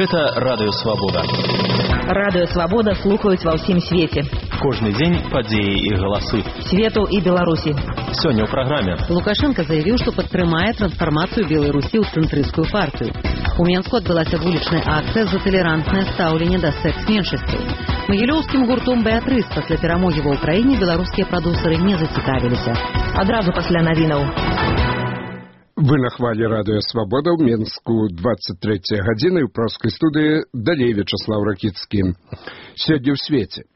Гэта радыёвабода. Радыёвабода слухаюць ва ўсім свеце. Кожны дзень падзеі і галасы. Свету і Беларусі. Сёння ў праграме. Лукашенко заявіў, што падтрымае трансфармацыю Беларусі ў цэнтрысцкую партыю. У Менску адбылася вулічная акцыя за талерантнае стаўленне да секс-меншасцей. Магілёўскім гуртом «Беатрыс» пасля перамогі ва ўкраіне беларускія прадусеры не зацікавіліся. Адразу пасля навінаў. Вы на хвалі радыё «Свабода» ў Менску 23 гадзіны ў праўскай студыі далей Вячаслаў Ракіцкі. Сёння ў свеце.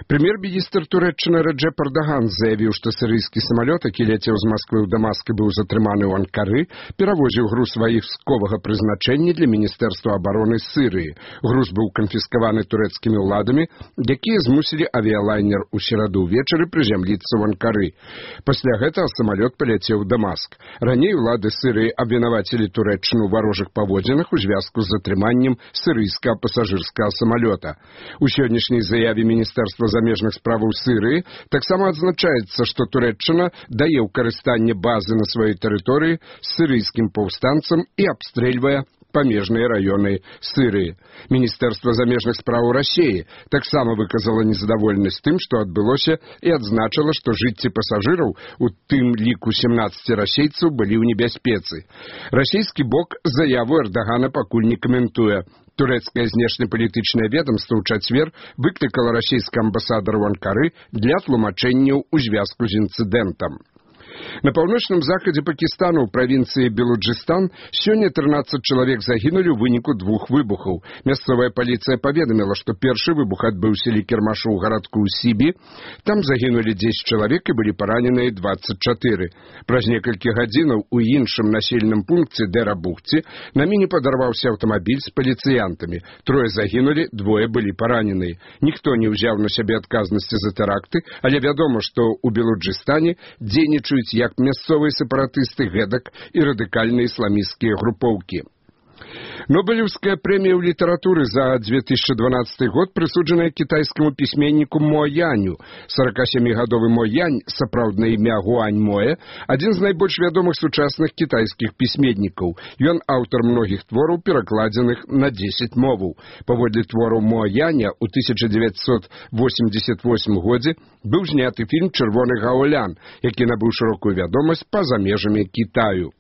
Прэм'ер-міністр Турэччыны Рэджэп Эрдаган заявіў, што сірыйскі самалёт, які ляцеў з Масквы ў Дамаск і быў затрыманы ў Анкары, перавозіў груз вайсковага прызначэння для Міністэрства абароны Сірыі. Груз быў канфіскаваны турэцкімі ўладамі, якія змусілі авіялайнер у сераду ўвечары прызямліцца ў Анкары. Пасля гэтага самалёт паляцеў у Дамаск. Раней улады Сірыі абвінавацілі Турэччыну ў варожых паводзінах у звязку з затрыманнем сірыйскага пасажырскага самалёта. У сённяшняй заяве Міністэрства замежных справаў Сірыі таксама адзначаецца, што Турэччына дае ў карыстанне базы на сваёй тэрыторыі сірыйскім паўстанцам і абстрэльвае памежныя раёны Сірыі. Міністэрства замежных справаў Расіі таксама выказала незадаволенасць тым, што адбылося, і адзначыла, што жыцці пасажыраў, у тым ліку 17 расейцаў, былі ў небяспецы. Расійскі бок заяву Эрдагана пакуль не каментуе. Турэцкае знешнепалітычнае ведамства ў чацвер выклікала расійскага амбасадара ў Анкары для тлумачэнняў у звязку з інцыдэнтам. На паўночным захадзе Пакістана ў правінцыі Белуджыстан сёння 13 чалавек загінулі ў выніку двух выбухаў. Мясцовая паліцыя паведаміла, што першы выбух адбыўся ля кірмашу ў гарадку ў Сібі. Там загінулі 10 чалавек і былі параненыя 24. Праз некалькі гадзінаў у іншым населеным пункце Дэра-Бухці на міне падарваўся аўтамабіль з паліцыянтамі. 3 загінулі, 2 былі параненыя. Ніхто не ўзяў на сябе адказнасці за тэракты, але вядома, што ў Белуджыстане дзейнічаюць як мясцовыя сепаратысты, гэтак і радыкальныя ісламісцкія групоўкі. Нобелевская прэмія ў літаратуры за 2012 год прысуджаная кітайскаму пісьменніку Мо Яню. 47-гадовы Мо Янь, сапраўднае імя Гуань Моэ, адзін з найбольш вядомых сучасных кітайскіх пісьменнікаў. Ён аўтар многіх твораў, перакладзеных на 10 моваў. Паводле твораў Мо Яня ў 1988 годзе быў зняты фільм «Чырвоны гаулян», які набыў шырокую вядомасць па-за межамі Кітаю.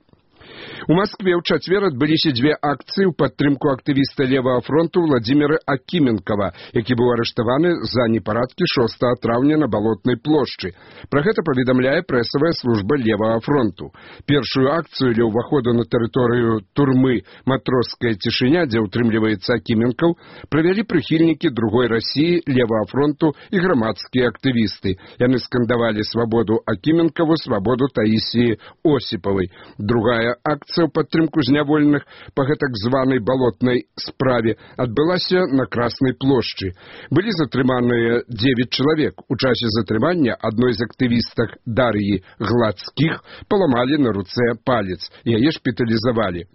У Маскве ў чацвер адбыліся 2 акцыі ў падтрымку актывіста Левага фронту Владзіміра Акіменкава, які быў арыштаваны за непарадкі 6 траўня на Балотнай плошчы. Пра гэта паведамляе прэсавая служба Левага фронту. Першую акцыю ля ўваходу на тэрыторыю турмы «Матроская цішыня», дзе ўтрымліваецца Акіменкаў, правялі прыхільнікі другой Расіі, Левага фронту і грамадскія актывісты. Яны скандавалі свабоду Акіменкаву, свабоду Таісіі Осіпавай. Другая акцыя ў падтрымку зняволеных па гэтак званай балотнай справе адбылася на Краснай плошчы. Былі затрыманыя 9 чалавек. У часе затрымання адной з актывістак Дар'і Гладскіх паламалі на руцэ палец. Яе шпіталізавалі.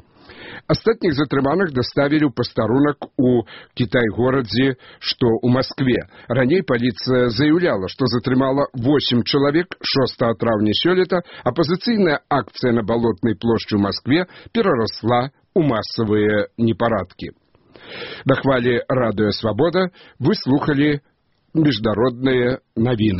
Астатніх затрыманых даставілі ў пастарунак у Кітай-горадзе, што ў Маскве. Раней паліцыя заяўляла, што затрымала 8 чалавек 6 траўня сёлета. Апазіцыйная акцыя на Балотнай плошчы ў Маскве перарасла ў масавыя непарадкі. На хвалі радыё «Свабода» вы слухалі міжнародныя навіны.